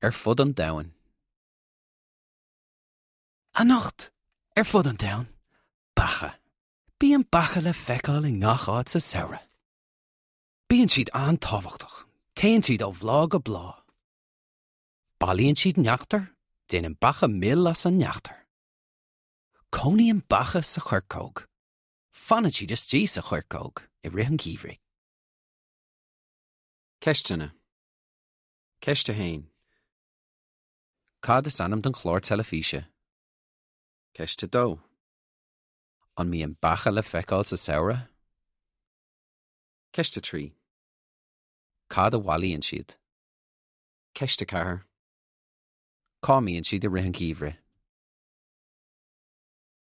Ar fud an domhain. Anocht, ar fud an domhain, beacha. Bíonn beacha le feiceáil i ngach áit sa samhradh. Bíonn siad an-tábhachtach. Téann siad ó bhláth go bláth. Bailíonn siad neachtar, déanann beacha mil as an neachtar. Cónaíonn beacha sa choirceog. Fanann siad istigh sa choirceog i rith an gheimhridh. Ceisteanna. Ceist 1. Cad is ainm don chlár teilifíse? Ceist 2. An mbíonn beacha le feiceáil sa samhradh? Ceist 3. Cad a bhailíonn siad? Ceist 4. Cá mbíonn siad i rith an gheimhridh?